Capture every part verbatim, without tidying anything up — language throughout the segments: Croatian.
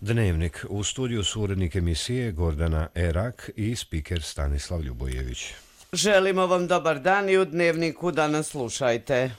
Dnevnik. U studiju su urednik emisije Gordana Erak i spiker Stanislav Ljubojević. Želimo vam dobar dan i u Dnevniku da nas slušajte.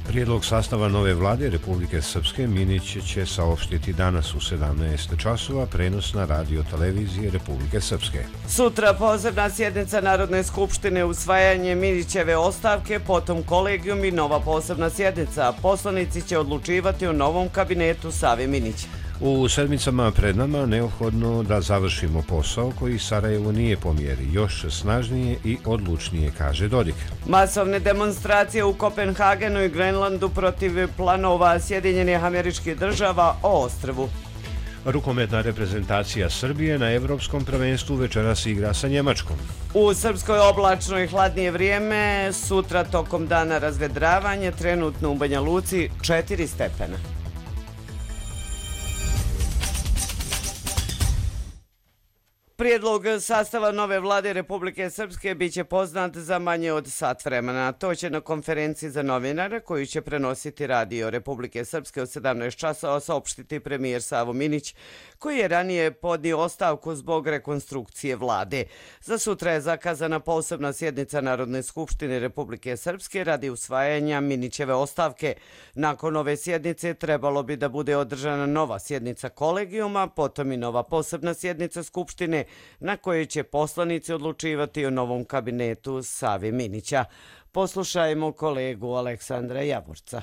Prijedlog sastava nove vlade Republike Srpske Minić će saopštiti danas u sedamnaest časova, prenos na radio televizije Republike Srpske. Sutra posebna sjednica Narodne skupštine, usvajanje Minićeve ostavke, potom kolegijum i nova posebna sjednica. Poslanici će odlučivati o novom kabinetu Save Minića. U sedmicama pred nama neophodno da završimo posao koji Sarajevo nije po mjeri, još snažnije i odlučnije, kaže Dodik. Masovne demonstracije u Kopenhagenu i Grenlandu protiv planova Sjedinjenih Američkih Država o ostrvu. Rukometna reprezentacija Srbije na Evropskom prvenstvu večeras igra sa Njemačkom. U Srpskoj oblačno i hladnije vrijeme, sutra tokom dana razvedravanje, trenutno u Banja Luci četiri stepena. Prijedlog sastava nove vlade Republike Srpske biće poznat za manje od sat vremena. To će na konferenciji za novinare, koju će prenositi radio Republike Srpske od sedamnaest časova, saopštiti premijer Savo Minić, koji je ranije podnio ostavku zbog rekonstrukcije vlade. Za sutra je zakazana posebna sjednica Narodne skupštine Republike Srpske radi usvajanja Minićeve ostavke. Nakon ove sjednice trebalo bi da bude održana nova sjednica kolegijuma, potom i nova posebna sjednica Skupštine, na kojoj će poslanici odlučivati o novom kabinetu Save Minića. Poslušajmo kolegu Aleksandra Javorca.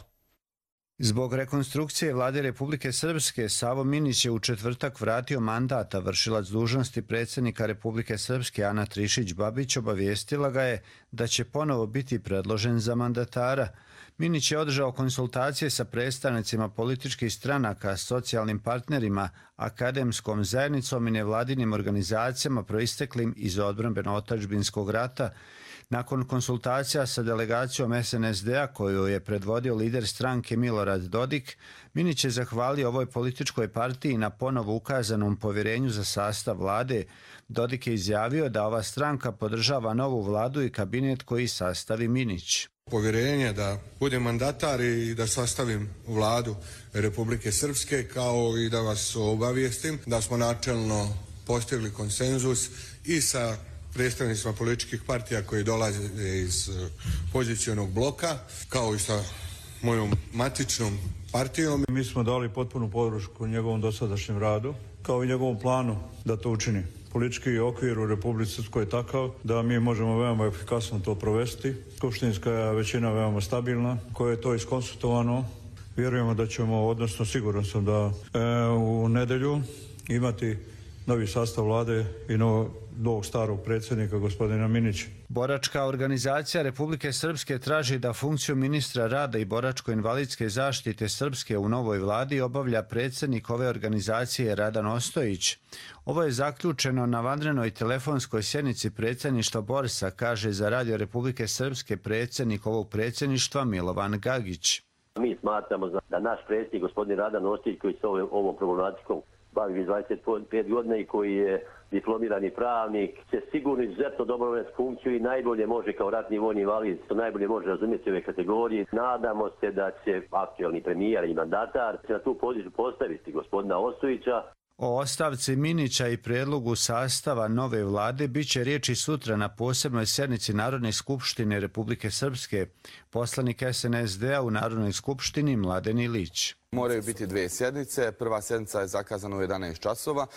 Zbog rekonstrukcije vlade Republike Srpske, Savo Minić je u četvrtak vratio mandat, a vršilac dužnosti predsjednika Republike Srpske Ana Trišić-Babić obavijestila ga je da će ponovo biti predložen za mandatara. Minić je održao konsultacije sa predstavnicima političkih stranaka, socijalnim partnerima, akademskom zajednicom i nevladinim organizacijama proisteklim iz odbrambeno-otadžbinskog rata. Nakon konsultacija sa delegacijom es en es de a koju je predvodio lider stranke Milorad Dodik, Minić je zahvalio ovoj političkoj partiji na ponovo ukazanom povjerenju za sastav vlade. Dodik je izjavio da ova stranka podržava novu vladu i kabinet koji sastavi Minić. Povjerenje da budem mandatar i da sastavim vladu Republike Srpske, kao i da vas obavijestim da smo načelno postigli konsenzus i sa predstavnicima političkih partija koji dolaze iz pozicionog bloka, kao i sa mojom matičnom partijom. Mi smo dali potpunu podršku njegovom dosadašnjem radu, kao i njegovom planu da to učini. Politički okvir u Republici Srpskoj je takav da mi možemo veoma efikasno to provesti. Skupštinska je većina veoma stabilna, koja je to iskonsultovano. Vjerujemo da ćemo, odnosno siguran sam da e, u nedelju imati novi sastav vlade i novog, novog starog predsjednika, gospodina Minića. Boračka organizacija Republike Srpske traži da funkciju ministra rada i boračko-invalidske zaštite Srpske u novoj vladi obavlja predsjednik ove organizacije Radan Ostojić. Ovo je zaključeno na vanrednoj telefonskoj sjednici predsjedništva Borsa, kaže za radio Republike Srpske predsjednik ovog predsjedništva Milovan Gagić. Mi smatramo da naš predsjednik, gospodin Radan Ostojić, koji se ovom problematikom bavi dvadeset pet godina i koji je diplomirani pravnik, će sigurno izuzetno dobro vrati funkciju i najbolje može kao ratni vojni invalid, što najbolje može razumjeti ove kategorije. Nadamo se da će aktualni premijer i mandatar na tu poziciju postaviti gospodina Ostojića. O ostavci Minića i prijedlogu sastava nove vlade bit će riječi sutra na posebnoj sjednici Narodne skupštine Republike Srpske. Poslanik es en es de a u Narodnoj skupštini Mladen Ilić. Moraju biti dvije sjednice. Prva sjednica je zakazana u jedanaest časova.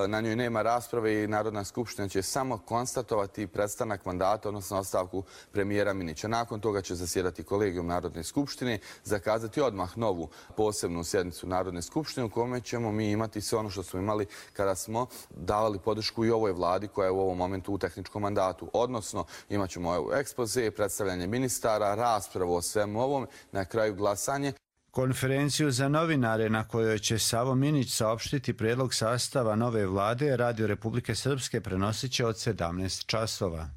Na njoj nema rasprave i Narodna skupština će samo konstatovati prestanak mandata, odnosno ostavku premijera Minića. Nakon toga će zasjedati kolegijum Narodne skupštine, zakazati odmah novu posebnu sjednicu Narodne skupštine u kome ćemo mi imati sve ono što smo imali kada smo davali podršku i ovoj vladi koja je u ovom momentu u tehničkom mandatu. Odnosno imat ćemo ekspoze, predstavljanje ministara, raspravu o svemu ovom, na kraju glasanje. Konferenciju za novinare na kojoj će Savo Minić saopštiti prijedlog sastava nove vlade radio Republike Srpske prenosit će od sedamnaest časova.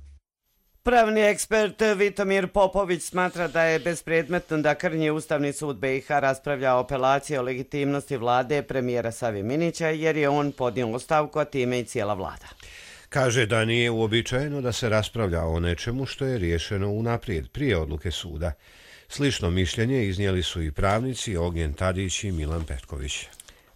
Pravni ekspert Vitomir Popović smatra da je bespredmetno da Krnji Ustavni sud be i ha raspravlja o apelaciji o legitimnosti vlade premijera Save Minića jer je on podnio ostavku, a time i cijela vlada. Kaže da nije uobičajeno da se raspravlja o nečemu što je riješeno unaprijed, prije odluke suda. Slično mišljenje iznijeli su i pravnici Ognjen Tadić i Milan Petković.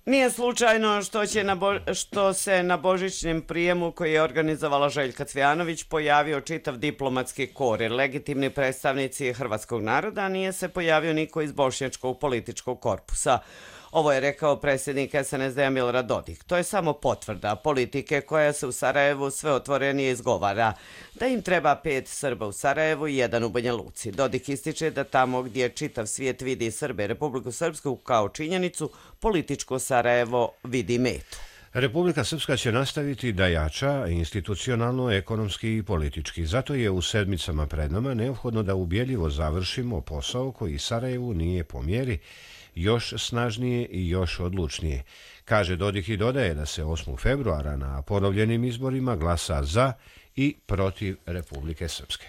Nije slučajno što, će na bo, što se na božićnem prijemu koji je organizovala Željka Cvijanović pojavio čitav diplomatski kor, jer legitimni predstavnici hrvatskog naroda, nije se pojavio niko iz bošnjačkog političkog korpusa. Ovo je rekao predsjednik es en es de-a Milorad Dodik. To je samo potvrda politike koja se u Sarajevu sve otvorenije izgovara. Da im treba pet Srba u Sarajevu i jedan u Banja Luci. Dodik ističe da tamo gdje čitav svijet vidi Srbe, Republiku Srpsku kao činjenicu, političko Sarajevo vidi metu. Republika Srpska će nastaviti da jača institucionalno, ekonomski i politički. Zato je u sedmicama pred nama neophodno da ubjedljivo završimo posao koji Sarajevu nije po mjeri, još snažnije i još odlučnije. Kaže Dodik i dodaje da se osmog februara na ponovljenim izborima glasa za i protiv Republike Srpske.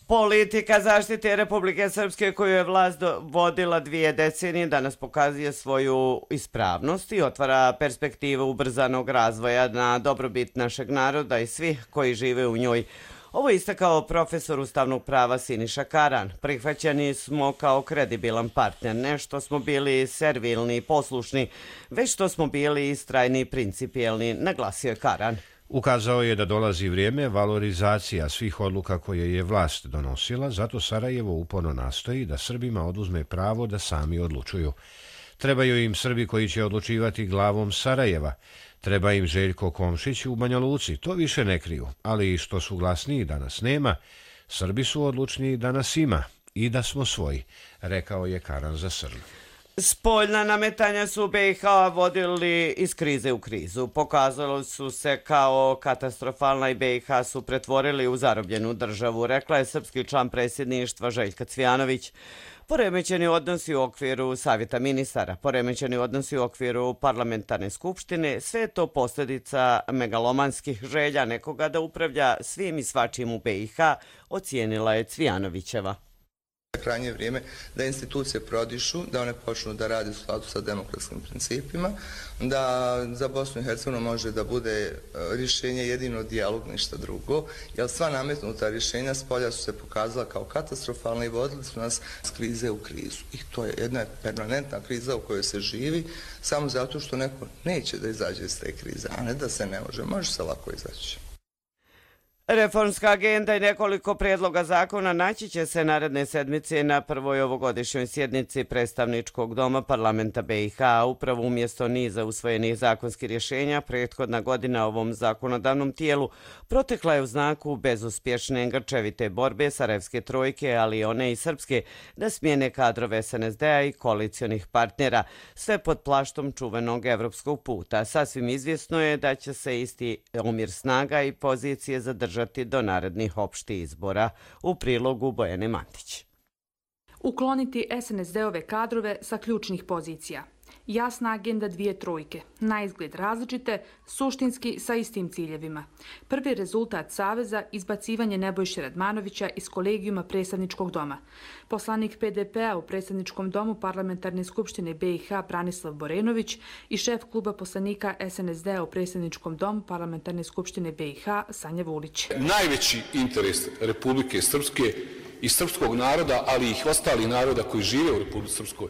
Politika zaštite Republike Srpske koju je vlast vodila dvije decenije danas pokazuje svoju ispravnost i otvara perspektivu ubrzanog razvoja na dobrobit našeg naroda i svih koji žive u njoj. Ovo je istakao profesor ustavnog prava Siniša Karan. Prihvaćeni smo kao kredibilan partner, ne što smo bili servilni i poslušni, već što smo bili istrajni i principijelni, naglasio je Karan. Ukazao je da dolazi vrijeme valorizacija svih odluka koje je vlast donosila, zato Sarajevo uporno nastoji da Srbima oduzme pravo da sami odlučuju. Trebaju im Srbi koji će odlučivati glavom Sarajeva. Treba im Željko Komšić u Banja Luci, to više ne kriju, ali i što su glasniji da nas nema, Srbi su odlučniji da nas ima i da smo svoji, rekao je Karan za Srn. Spoljna nametanja su be i ha vodili iz krize u krizu. Pokazalo su se kao katastrofalna i be i ha su pretvorili u zarobljenu državu, rekla je srpski član predsjedništva Željka Cvijanović. Poremećeni odnosi u okviru Savjeta ministara, poremećeni odnosi u okviru parlamentarne skupštine, sve je to posljedica megalomanskih želja nekoga da upravlja svim i svačim u be i ha, ocijenila je Cvijanovićeva. Krajnje vrijeme da institucije prodišu, da one počnu da rade u skladu sa demokratskim principima, da za Bosnu i Hercegovinu može da bude rješenje jedino dijalog, ništa drugo, jer sva nametnuta rješenja s polja su se pokazala kao katastrofalna i vodili su nas s krize u krizu. I to je jedna permanentna kriza u kojoj se živi, samo zato što neko neće da izađe iz te krize, a ne da se ne može, može se lako izaći. Reformska agenda i nekoliko prijedloga zakona naći će se naredne sedmice na prvoj ovogodišnjoj sjednici predstavničkog doma parlamenta be i ha. Upravo umjesto niza usvojenih zakonskih rješenja, prethodna godina ovom zakonodavnom tijelu protekla je u znaku bezuspješne grčevite borbe Sarajevske trojke, ali i one i srpske, da smijene kadrove es en es de-a i koalicionih partnera, sve pod plaštom čuvenog evropskog puta. Sasvim izvjesno je da će se isti omjer snaga i pozicije zadržati do narednih opštih izbora. U prilogu Bojane Mantić. Ukloniti es en es de-ove kadrove sa ključnih pozicija. Jasna agenda dvije trojke, na izgled različite, suštinski sa istim ciljevima. Prvi rezultat Saveza izbacivanje Nebojše Radmanovića iz kolegijuma predstavničkog doma. Poslanik pe de pe-a u predstavničkom domu parlamentarne skupštine be i ha Branislav Borenović i šef kluba poslanika es en es de-a u predstavničkom domu parlamentarne skupštine be i ha Sanja Vulić. Najveći interes Republike Srpske i srpskog naroda, ali i ostalih naroda koji žive u Republike Srpskoj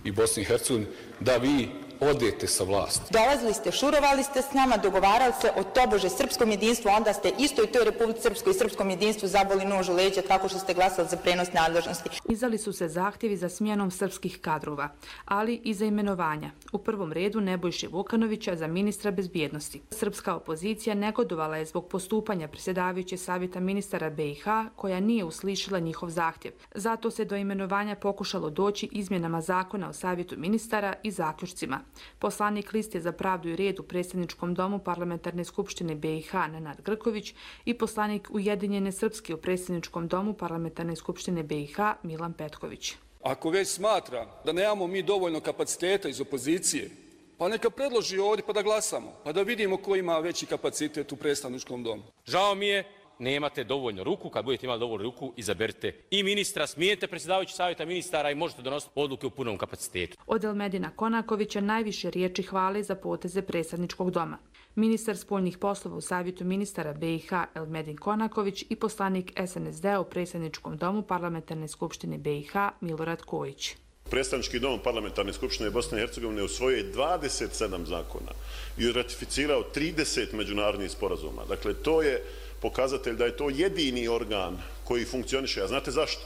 i Bosni i Hercegovini, da vi odete sa vlasti. Dolazili ste, šurovali ste s nama, dogovarali se o tobože srpskom jedinstvu, onda ste isto i toj Republici Srpskoj i srpskom jedinstvu zaboli nož u leđa tako što ste glasali za prenos nadležnosti. Izdali su se zahtjevi za smjenom srpskih kadrova, ali i za imenovanja. U prvom redu Nebojše Vukanovića za ministra bezbjednosti. Srpska opozicija negodovala je zbog postupanja predsjedavajuće savjeta ministara be i ha, koja nije uslišila njihov zahtjev. Zato se do imenovanja pokušalo doći izmjenama zakona o savjetu ministara i zaključcima. Poslanik Liste za pravdu i red u predstavničkom domu parlamentarne skupštine be i ha Nenad Grković i poslanik Ujedinjene Srpske u predstavničkom domu parlamentarne skupštine be i ha Milan Petković. Ako već smatra da nemamo mi dovoljno kapaciteta iz opozicije, pa neka predloži ovdje pa da glasamo, pa da vidimo ko ima veći kapacitet u predstavničkom domu. Žao mi je nemate dovoljno ruku. Kad budete imali dovoljno ruku, izaberite i ministra, smijete predsjedavajući savjeta ministara i možete donositi odluke u punom kapacitetu. Od Elmedina Konakovića najviše riječi hvale za poteze predsjedničkog doma. Ministar spoljnih poslova u savjetu ministara B i H Elmedin Konaković i poslanik S N S D-a u predsjedničkom domu Parlamentarne skupštine B i H Milorad Kojić. Predstavnički dom Parlamentarne skupštine Bosne i Hercegovine usvojio je dvadeset sedam zakona i ratificirao trideset međunarodnih sporazuma. Dakle, to je pokazatelj da je to jedini organ koji funkcioniše. A znate zašto?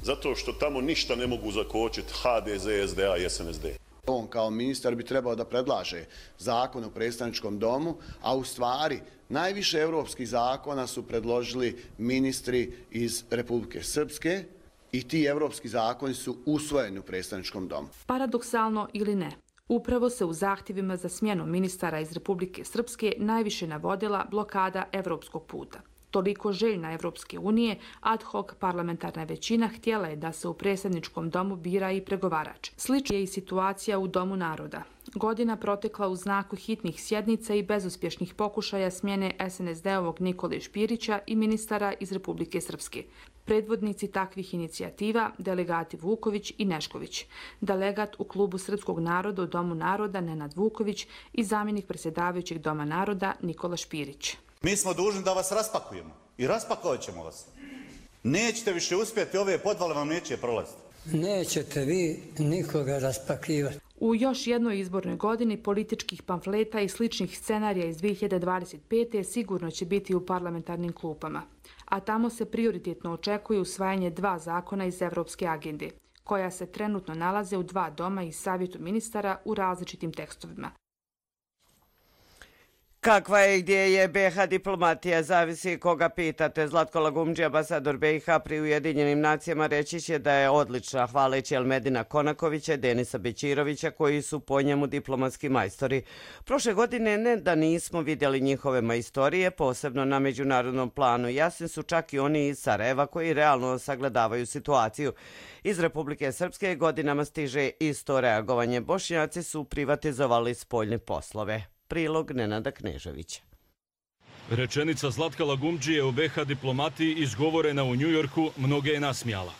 Zato što tamo ništa ne mogu zakočiti H D Z, S D A i S N S D. On kao ministar bi trebao da predlaže zakon o predstavničkom domu, a u stvari najviše europskih zakona su predložili ministri iz Republike Srpske i ti evropski zakoni su usvojeni u predstavničkom domu. Paradoksalno ili ne, upravo se u zahtjevima za smjenu ministara iz Republike Srpske najviše navodila blokada evropskog puta. Toliko željna Evropske unije, ad hoc parlamentarna većina htjela je da se u predsjedničkom domu bira i pregovarač. Slična je i situacija u Domu naroda. Godina protekla u znaku hitnih sjednica i bezuspješnih pokušaja smjene S N S D-ovog Nikole Špirića i ministara iz Republike Srpske. Predvodnici takvih inicijativa, delegati Vuković i Nešković, delegat u klubu Srpskog naroda u Domu naroda Nenad Vuković i zamjenik predsjedavajućeg Doma naroda Nikola Špirić. Mi smo dužni da vas raspakujemo i raspakovat ćemo vas. Nećete više uspjeti, ove podvale vam neće prolaziti. Nećete vi nikoga raspakivati. U još jednoj izbornoj godini političkih pamfleta i sličnih scenarija iz dvije hiljade dvadeset pete sigurno će biti u parlamentarnim klupama, a tamo se prioritetno očekuje usvajanje dva zakona iz Evropske agende, koja se trenutno nalaze u dva doma i savjetu ministara u različitim tekstovima. Kakva je i gdje je B i H diplomatija, zavisi koga pitate. Zlatko Lagumdži, ambasador B i H pri Ujedinjenim nacijama, reći će da je odlična, hvaleći Elmedina Konakovića i Denisa Bećirovića, koji su po njemu diplomatski majstori. Prošle godine ne da nismo vidjeli njihove majstorije, posebno na međunarodnom planu. Jasni su čak i oni iz Sarajeva koji realno sagledavaju situaciju. Iz Republike Srpske godinama stiže isto reagovanje. Bošnjaci su privatizovali spoljne poslove. Prilog Nenada Kneževića. Rečenica Zlatka Lagumdžije u B i H diplomatiji izgovorena u Njujorku mnoge je nasmijala.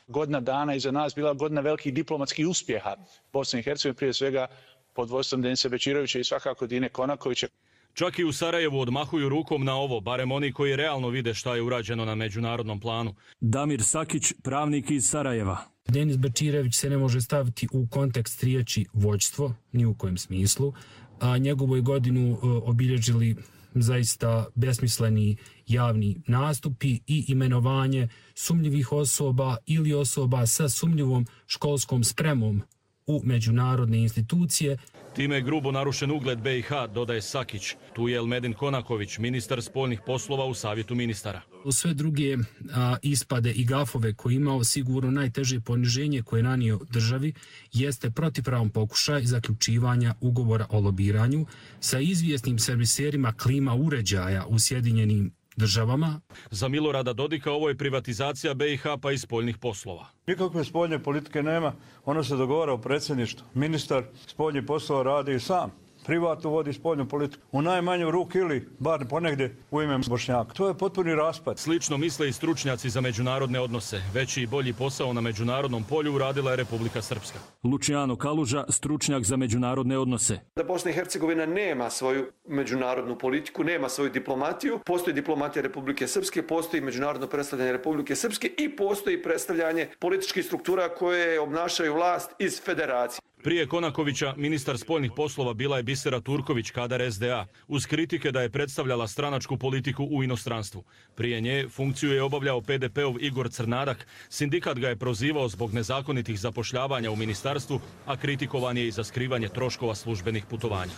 Godina dana iza nas bila godina velikih diplomatskih uspjeha Bosne i Hercegovine, prije svega pod vodstvom Denisa Bećirovića i svakako Dine Konakovića. Čak i u Sarajevu odmahuju rukom na ovo, barem oni koji realno vide šta je urađeno na međunarodnom planu. Damir Sakić, pravnik iz Sarajeva. Denis Bećirović se ne može staviti u kontekst riječi vođstvo, ni u kojem smislu, a njegovu godinu obilježili zaista besmisleni javni nastupi i imenovanje sumnjivih osoba ili osoba sa sumnjivom školskom spremom u međunarodne institucije. Time je grubo narušen ugled B i H, dodaje Sakić. Tu je Elmedin Konaković, ministar spoljnih poslova u savjetu ministara. U sve druge a, ispade i gafove koje imao, sigurno najteže poniženje koje je nanio državi jeste protivpravan pokušaj zaključivanja ugovora o lobiranju sa izvjesnim serviserima klima uređaja u Sjedinjenim državama. Za Milorada Dodika ovo je privatizacija B i H pa i spoljnih poslova. Nikakve spoljne politike nema, ono se dogovara u predsjedništvu. Ministar spoljnih poslova radi sam. Privatno vodi spoljnu politiku. U najmanju ruku ili bar ponegdje u ime Bošnjaka. To je potpuni raspad. Slično misle i stručnjaci za međunarodne odnose. Veći i bolji posao na međunarodnom polju uradila je Republika Srpska. Luciano Kaluža, stručnjak za međunarodne odnose. Da Bosna i Hercegovina nema svoju međunarodnu politiku, nema svoju diplomatiju. Postoji diplomatija Republike Srpske, postoji međunarodno predstavljanje Republike Srpske i postoji predstavljanje političkih struktura koje obnašaju vlast iz federacije. Prije Konakovića, ministar spoljnih poslova bila je Bisera Turković, kadar S D A, uz kritike da je predstavljala stranačku politiku u inostranstvu. Prije nje funkciju je obavljao P D P-ov Igor Crnadak, sindikat ga je prozivao zbog nezakonitih zapošljavanja u ministarstvu, a kritikovan je i za skrivanje troškova službenih putovanja.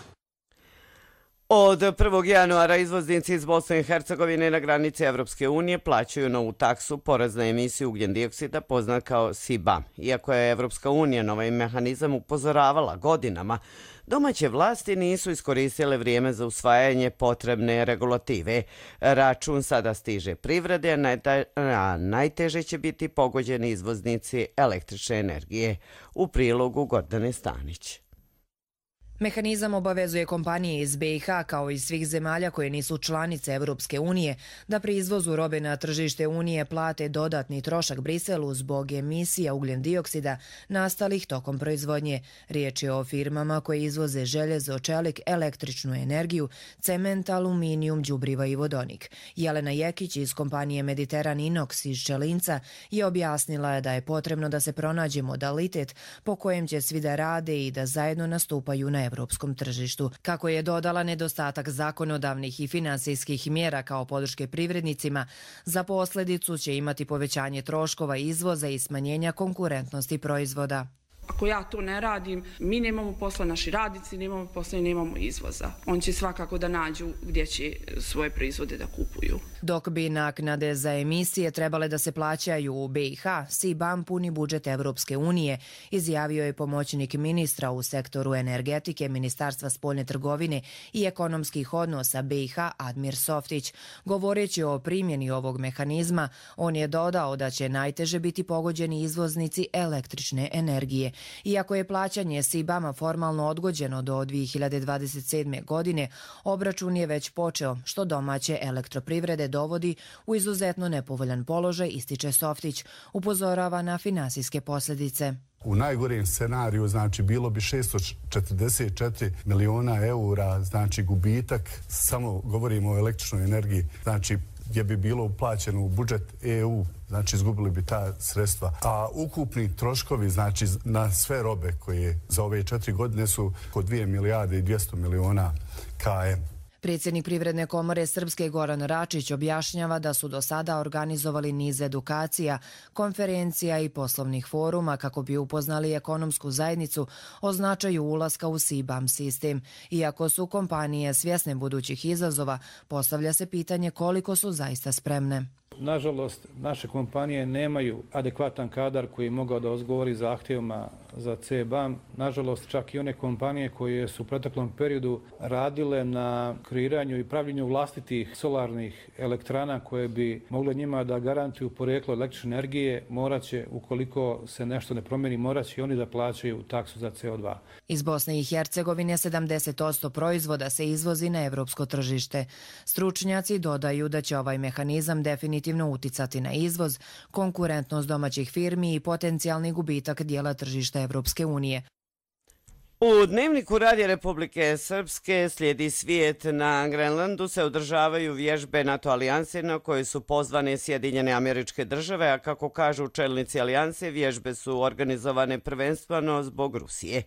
Od prvog januara izvoznici iz Bosne i Hercegovine na granici Evropske unije plaćaju novu taksu porez na emisiju ugljen dioksida poznat kao S I B A. Iako je Evropska unija na ovaj mehanizam upozoravala godinama, domaće vlasti nisu iskoristile vrijeme za usvajanje potrebne regulative. Račun sada stiže privrede, a najteže će biti pogođeni izvoznici električne energije. U prilogu Gordane Stanić. Mehanizam obavezuje kompanije iz B i H kao i svih zemalja koje nisu članice Evropske unije da pri izvozu robe na tržište Unije plate dodatni trošak Briselu zbog emisija ugljen dioksida nastalih tokom proizvodnje. Riječ je o firmama koje izvoze željezo, čelik, električnu energiju, cement, aluminijum, đubriva i vodonik. Jelena Jekić iz kompanije Mediteran Inox iz Čelinca je objasnila da je potrebno da se pronađe modalitet po kojem će svi da rade i da zajedno nastupaju na evropskom tržištu. Kako je dodala, nedostatak zakonodavnih i finansijskih mjera kao podrške privrednicima za posljedicu će imati povećanje troškova izvoza i smanjenja konkurentnosti proizvoda. Ako ja to ne radim, mi nemamo posla, naši radnici nemamo posla i nemamo izvoza. On će svakako da nađu gdje će svoje proizvode da kupuju. Dok bi naknade za emisije trebale da se plaćaju u B i H, S I B A M puni budžet Evropske unije, izjavio je pomoćnik ministra u sektoru energetike Ministarstva spoljne trgovine i ekonomskih odnosa B i H Admir Softić. Govoreći o primjeni ovog mehanizma, on je dodao da će najteže biti pogođeni izvoznici električne energije. Iako je plaćanje S I B A M-a formalno odgođeno do dvije hiljade dvadeset sedme. godine, obračun je već počeo, što domaće elektroprivrede dovodi u izuzetno nepovoljan položaj, ističe Softić, upozorava na finansijske posljedice. U najgorem scenariju znači bilo bi šesto četrdeset četiri miliona eura, znači gubitak, samo govorimo o električnoj energiji, znači gdje bi bilo uplaćeno u budžet E U, znači izgubili bi ta sredstva. A ukupni troškovi, znači na sve robe koje za ove četiri godine su oko dvije milijarde i dvjesto miliona K M. Predsjednik Privredne komore Srpske Goran Račić objašnjava da su do sada organizovali niz edukacija, konferencija i poslovnih foruma kako bi upoznali ekonomsku zajednicu o značaju ulaska u S I B A M sistem. Iako su kompanije svjesne budućih izazova, postavlja se pitanje koliko su zaista spremne. Nažalost, naše kompanije nemaju adekvatan kadar koji je mogao da odgovori zahtjevima za C B A M. Nažalost, čak i one kompanije koje su u proteklom periodu radile na kreiranju i pravljenju vlastitih solarnih elektrana koje bi mogle njima da garantuju porijeklo električne energije, morat će, ukoliko se nešto ne promijeni, morat će oni da plaćaju taksu za C O dva. Iz Bosne i Hercegovine sedamdeset posto proizvoda se izvozi na evropsko tržište. Stručnjaci dodaju da će ovaj mehanizam definitivno uticati na izvoz, konkurentnost domaćih firmi i potencijalni gubitak dijela tržišta Evropske unije. U Dnevniku Radija Republike Srpske Slijedi svijet. Na Grenlandu se održavaju vježbe NATO alijanse na koje su pozvane Sjedinjene Američke Države, a kako kažu čelnici alijanse, vježbe su organizovane prvenstveno zbog Rusije.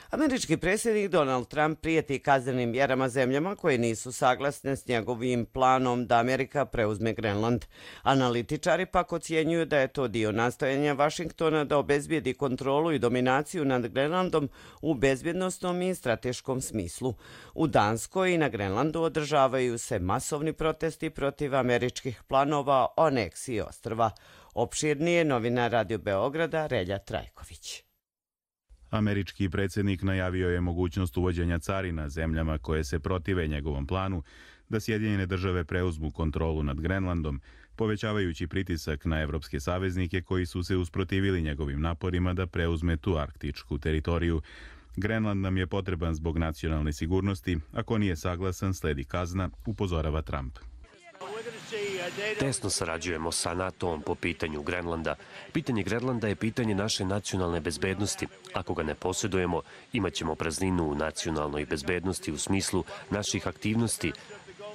Američki predsjednik Donald Trump prijeti kaznenim mjerama zemljama koje nisu saglasne s njegovim planom da Amerika preuzme Grenland. Analitičari pak ocjenjuju da je to dio nastojanja Vašingtona da obezbijedi kontrolu i dominaciju nad Grenlandom u bezbjednosnom i strateškom smislu. U Danskoj i na Grenlandu održavaju se masovni protesti protiv američkih planova o aneksiji ostrva. Opširnije novina Radio Beograda Relja Trajković. Američki predsjednik najavio je mogućnost uvođenja carina zemljama koje se protive njegovom planu da Sjedinjene države preuzmu kontrolu nad Grenlandom, povećavajući pritisak na evropske saveznike koji su se usprotivili njegovim naporima da preuzme tu arktičku teritoriju. Grenland nam je potreban zbog nacionalne sigurnosti, ako nije saglasan sledi kazna, upozorava Trump. Tesno sarađujemo sa NATO-om po pitanju Grenlanda. Pitanje Grenlanda je pitanje naše nacionalne bezbednosti. Ako ga ne posjedujemo, imat ćemo prazninu u nacionalnoj bezbednosti u smislu naših aktivnosti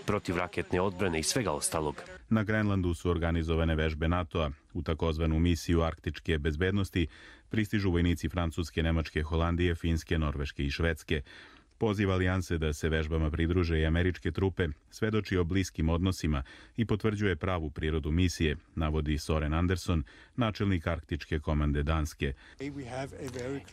protiv raketne odbrane i svega ostalog. Na Grenlandu su organizovane vežbe NATO-a. U takozvanu misiju arktičke bezbednosti pristižu vojnici Francuske, Nemačke, Holandije, Finske, Norveške i Švedske. Poziv alijanse da se vežbama pridruže i američke trupe svedoči o bliskim odnosima i potvrđuje pravu prirodu misije, navodi Soren Anderson, načelnik arktičke komande Danske.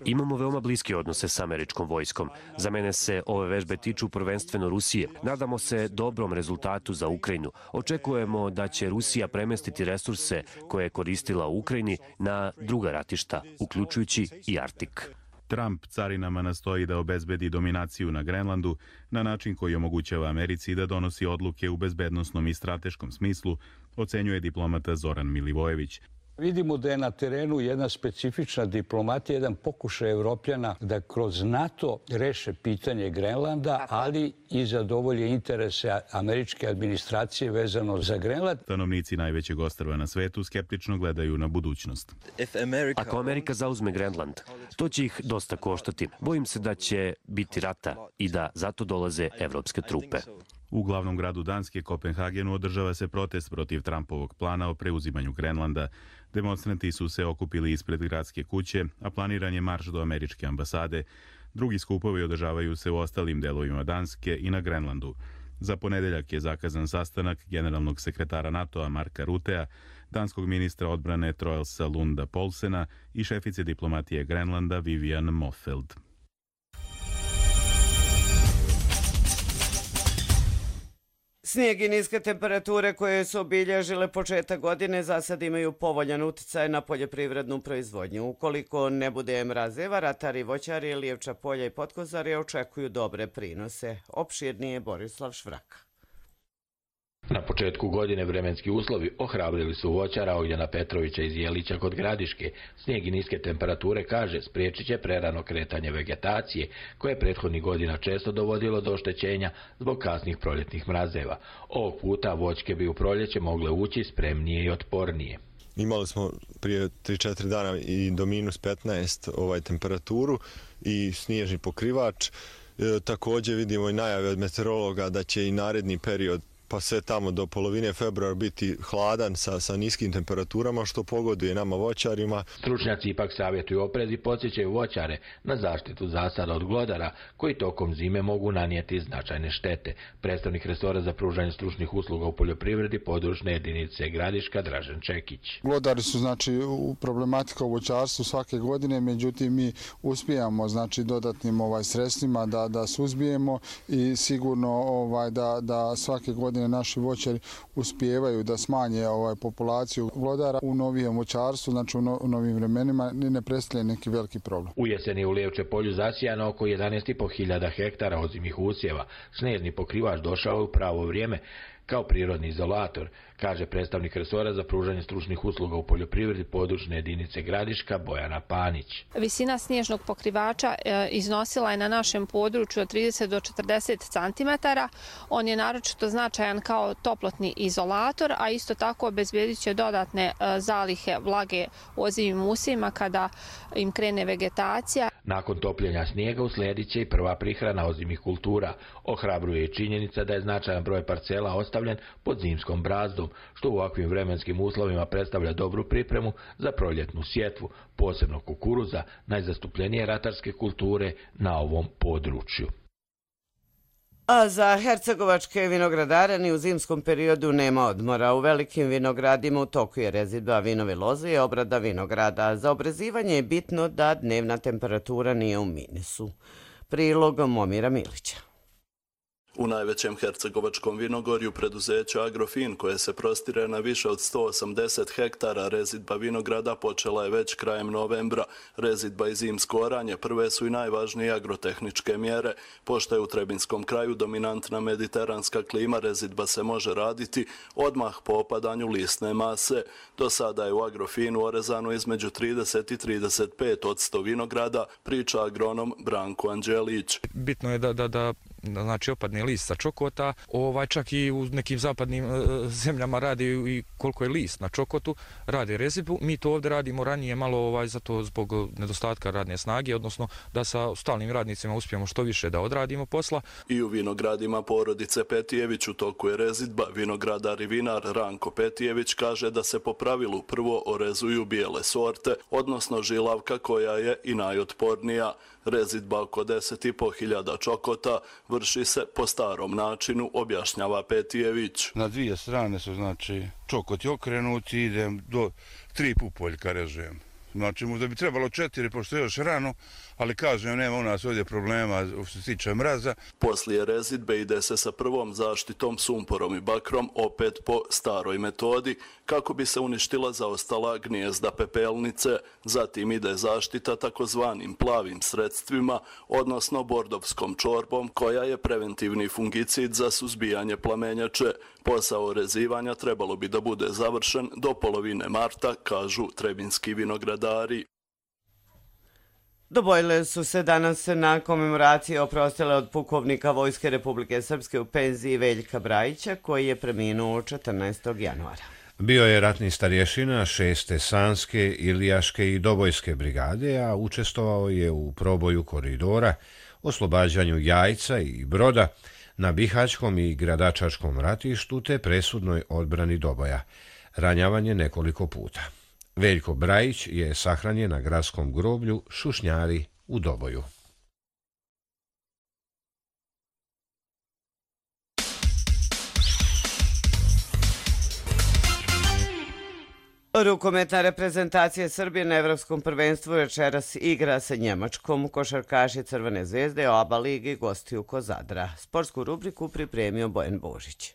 Imamo veoma bliske odnose s američkom vojskom. Za mene se ove vežbe tiču prvenstveno Rusije. Nadamo se dobrom rezultatu za Ukrajinu. Očekujemo da će Rusija premestiti resurse koje je koristila u Ukrajini na druga ratišta, uključujući i Arktik. Trump carinama nastoji da obezbedi dominaciju na Grenlandu na način koji omogućava Americi da donosi odluke u bezbednosnom i strateškom smislu, ocenjuje diplomata Zoran Milivojević. Vidimo da je na terenu jedna specifična diplomatija, jedan pokušaj Evropljana da kroz NATO reše pitanje Grenlanda, ali i zadovolje interese američke administracije vezano za Grenland. Stanovnici najvećeg ostrva na svetu skeptično gledaju na budućnost. Ako Amerika zauzme Grenland, to će ih dosta koštati. Bojim se da će biti rata i da zato dolaze evropske trupe. U glavnom gradu Danske, Kopenhagenu, održava se protest protiv Trumpovog plana o preuzimanju Grenlanda. Demonstranti su se okupili ispred gradske kuće, a planiran je marš do američke ambasade. Drugi skupovi održavaju se u ostalim delovima Danske i na Grenlandu. Za ponedeljak je zakazan sastanak generalnog sekretara NATO-a Marka Rutea, danskog ministra odbrane Troelsa Lunda Polsena i šefice diplomatije Grenlanda Vivian Moffeld. Snijeg i niske temperature koje su obilježile početak godine za sad imaju povoljan uticaj na poljoprivrednu proizvodnju. Ukoliko ne bude mrazeva, ratari, voćari, Lijevča polja i Potkozari očekuju dobre prinose. Opširnije Borislav Švraka. Na početku godine vremenski uslovi ohrabrili su voćara Ognjena Petrovića iz Jelića kod Gradiške. Snijeg i niske temperature, kaže, spriječit će prerano kretanje vegetacije, koje je prethodnih godina često dovodilo do oštećenja zbog kasnih proljetnih mrazeva. Ovog puta voćke bi u proljeće mogle ući spremnije i otpornije. Imali smo prije tri četiri dana i do minus petnaest ovaj temperaturu i snježni pokrivač. E, također vidimo i najave od meteorologa da će i naredni period pa sve tamo do polovine februara biti hladan sa, sa niskim temperaturama, što pogoduje nama voćarima. Stručnjaci ipak savjetuju oprez i podsjećaju voćare na zaštitu zasada od glodara, koji tokom zime mogu nanijeti značajne štete. Predstavnik resora za pružanje stručnih usluga u poljoprivredi područne jedinice Gradiška Dražen Čekić. Glodari su znači u problematika u voćarstvu svake godine, međutim mi uspijamo znači dodatnim ovaj sredstvima da da suzbijemo i sigurno ovaj da da svake godine naši voćari uspijevaju da smanje ovaj populaciju glodara u novijem voćarstvu, znači u, no, u novim vremenima ne predstavlja neki veliki problem. U jeseni u Lijevče polju zasijano oko jedanaest i po hiljada hektara ozimih usjeva. Snežni pokrivač došao u pravo vrijeme kao prirodni izolator, kaže predstavnik resora za pružanje stručnih usluga u poljoprivredi područne jedinice Gradiška Bojana Panić. Visina snježnog pokrivača e, iznosila je na našem području od trideset do četrdeset centimetara. On je naročito značajan kao toplotni izolator, a isto tako obezbedit će dodatne e, zalihe vlage u ozimim usjevima kada im krene vegetacija. Nakon topljenja snijega uslijedit će i prva prihrana ozimih kultura. Ohrabruje i činjenica da je značajan broj parcela ostavljen pod zimskom brazdom, što u ovakvim vremenskim uslovima predstavlja dobru pripremu za proljetnu sjetvu, posebno kukuruza, najzastupljenije ratarske kulture na ovom području. A za hercegovačke vinogradare ni u zimskom periodu nema odmora. U velikim vinogradima u toku je rezidba vinove loze i obrada vinograda. Za obrezivanje je bitno da dnevna temperatura nije u minusu. Prilog Momira Milića. U najvećem hercegovačkom vinogorju preduzeća Agrofin, koje se prostire na više od sto osamdeset hektara, rezidba vinograda počela je već krajem novembra. Rezidba i zimsko oranje prve su i najvažnije agrotehničke mjere. Pošto je u Trebinskom kraju dominantna mediteranska klima, rezidba se može raditi odmah po opadanju lisne mase. Do sada je u Agrofinu orezano između trideset i trideset pet posto vinograda, priča agronom Branko Anđelić. Bitno je da, da, da znači opadne list sa čokota, ovaj čak i u nekim zapadnim e, zemljama radi i koliko je list na čokotu, radi rezidbu. Mi to ovdje radimo ranije malo ovaj zato zbog nedostatka radne snage, odnosno da sa stalnim radnicima uspijemo što više da odradimo posla. I u vinogradima porodice Petijević u toku je rezidba. Vinogradar i vinar Ranko Petijević kaže da se po pravilu prvo orezuju bijele sorte, odnosno žilavka koja je i najotpornija. Rezidba oko deset i po hiljada čokota vrši se po starom načinu, objašnjava Petijević. Na dvije strane su znači čokoti okrenuti, idem do tri pupoljka režujem. Znači, možda bi trebalo četiri, pošto je još rano, ali kažem, nema u nas ovdje problema što se tiče mraza. Poslije rezidbe ide se sa prvom zaštitom sumporom i bakrom, opet po staroj metodi, kako bi se uništila zaostala gnijezda pepelnice. Zatim ide zaštita takozvanim plavim sredstvima, odnosno bordovskom čorbom, koja je preventivni fungicid za suzbijanje plamenjače. Posao rezivanja trebalo bi da bude završen do polovine marta, kažu trebinski vinogradari. Dobojile su se danas na komemoraciji oprostile od pukovnika Vojske Republike Srpske u penziji Veljka Brajića, koji je preminuo četrnaestog januara. Bio je ratni starješina šeste Sanske, Ilijaške i Dobojske brigade, a učestvovao je u proboju koridora, oslobađanju Jajca i Broda, na Bihaćkom i Gradačačkom ratištu te presudnoj odbrani Doboja. Ranjavan je nekoliko puta. Veljko Brajić je sahranjen na gradskom groblju Šušnjari u Doboju. Rukometna reprezentacija Srbije na Evropskom prvenstvu večeras igra sa Njemačkom. Košarkaši Crvene zvezde oba ligi gostuju kod Zadra. Sportsku rubriku pripremio Bojan Božić.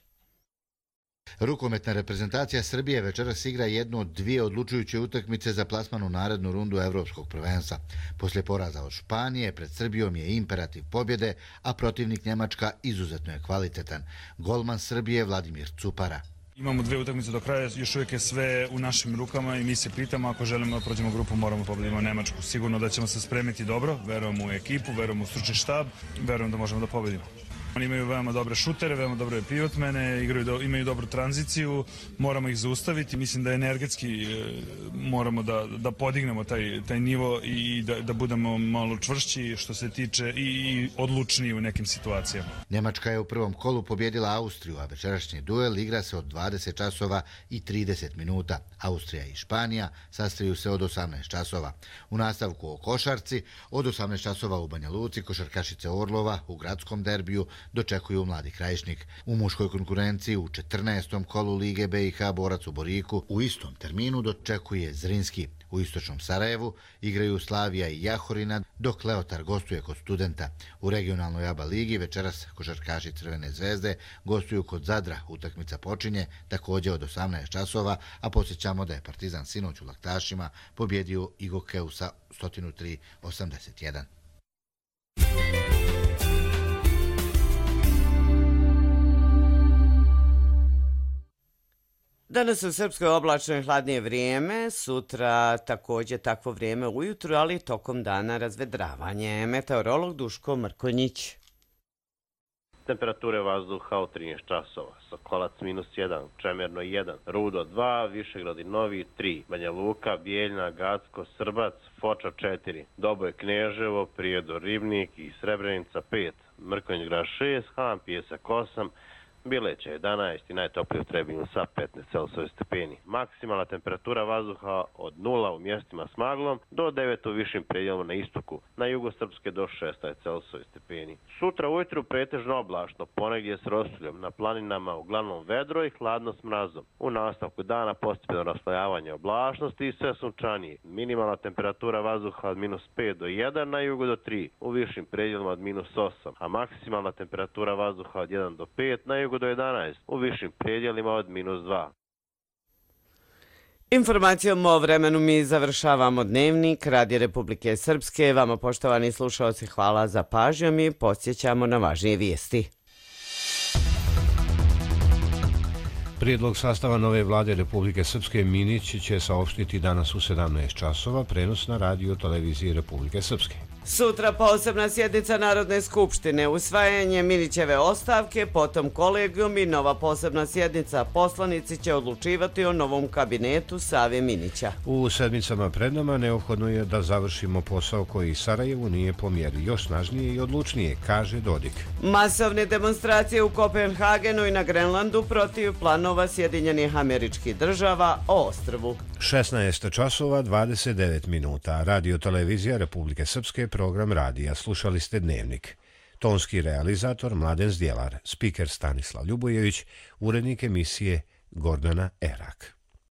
Rukometna reprezentacija Srbije večeras igra jednu od dvije odlučujuće utakmice za plasman u narednu rundu Evropskog prvenstva. Poslije poraza od Španije, pred Srbijom je imperativ pobjede, a protivnik Njemačka izuzetno je kvalitetan. Golman Srbije Vladimir Cupara. Imamo dve utakmice do kraja, još uvijek je sve u našim rukama i mi se pitamo, ako želimo da prođemo grupu, moramo pobedimo Nemačku. Sigurno da ćemo se spremiti dobro, verujem u ekipu, verujem u stručni štab, verujem da možemo da pobedimo. Oni imaju veoma dobre šutere, veoma dobre pivotmene, igraju do, imaju dobru tranziciju, moramo ih zaustaviti. Mislim da energetski e, moramo da, da podignemo taj, taj nivo i da, da budemo malo čvršći što se tiče i, i odlučniji u nekim situacijama. Njemačka je u prvom kolu pobjedila Austriju, a večerašnji duel igra se od dvadeset časova i trideset minuta. Austrija i Španija sastaju se od osamnaest časova. U nastavku o košarci od osamnaest časova u Banja Luci košarkašice Orlova u gradskom derbiju dočekuju Mladi Krajišnik. U muškoj konkurenciji u četrnaestom kolu Lige B i H borac u Boriku u istom terminu dočekuje Zrinski. U istočnom Sarajevu igraju Slavija i Jahorina, dok Leotar gostuje kod Studenta. U regionalnoj A B A ligi večeras košarkaši Crvene zvezde gostuju kod Zadra. Utakmica počinje također od osamnaest časova, a podsjećamo da je Partizan sinoć u Laktašima pobjedio Igokeu sa sto tri osamdeset jedan. Danas u Srpskoj oblačno i hladnije vrijeme, sutra također takvo vrijeme ujutru, ali tokom dana razvedravanje. Meteorolog Duško Mrkonjić. Temperature vazduha od trinaest časova, Sokolac minus jedan, Čemerno jedan, Rudo dva, Višegrad i Novi tri, Banja Luka, Bijeljna, Gacko, Srbac, Foča četiri, Doboj, Kneževo, Prijedor, Ribnik i Srebrenica pet, Mrkonjić grad šest, Han Pijesak osam, Bileća jedanaest i najtoplije u Trebinju sa petnaest Celsius stepeni. Maksimalna temperatura vazduha od nula u mjestima s maglom do devet u višim predjelima na istoku, na jugu Srpske do šesnaest Celsius stepeni. Sutra ujutru pretežno oblačno, ponegdje s rosuljom, na planinama uglavnom vedro i hladno s mrazom. U nastavku dana postepeno raslojavanje oblačnosti i sve sunčanije. Minimalna temperatura vazduha od minus pet do jedan, na jugu do tri, u višim predjelima od minus osam, a maksimalna temperatura vazduha od jedan do pet, na jugu do jedanaest, u višim predjelima od minus dva. Informacijom o vremenu mi završavamo dnevnik Radija Republike Srpske. Vama, poštovani slušalci, hvala za pažnjom i podsjećamo na važnije vijesti. Prijedlog sastava nove vlade Republike Srpske Minić će saopštiti danas u sedamnaest časova, prenos na radio televiziji Republike Srpske. Sutra posebna sjednica Narodne skupštine, usvajanje Minićeve ostavke, potom kolegijum i nova posebna sjednica. Poslanici će odlučivati o novom kabinetu Save Minića. U sedmicama pred nama neophodno je da završimo posao koji Sarajevu nije po mjeri, još snažnije i odlučnije, kaže Dodik. Masovne demonstracije u Kopenhagenu i na Grenlandu protiv planova Sjedinjenih Američkih Država o ostrvu. šesnaest časova dvadeset devet minuta. Radio televizija Republike Srpske, program radija. Slušali ste Dnevnik. Tonski realizator Mladen Zdjelar, spiker Stanislav Ljubojević, urednik emisije Gordana Erak.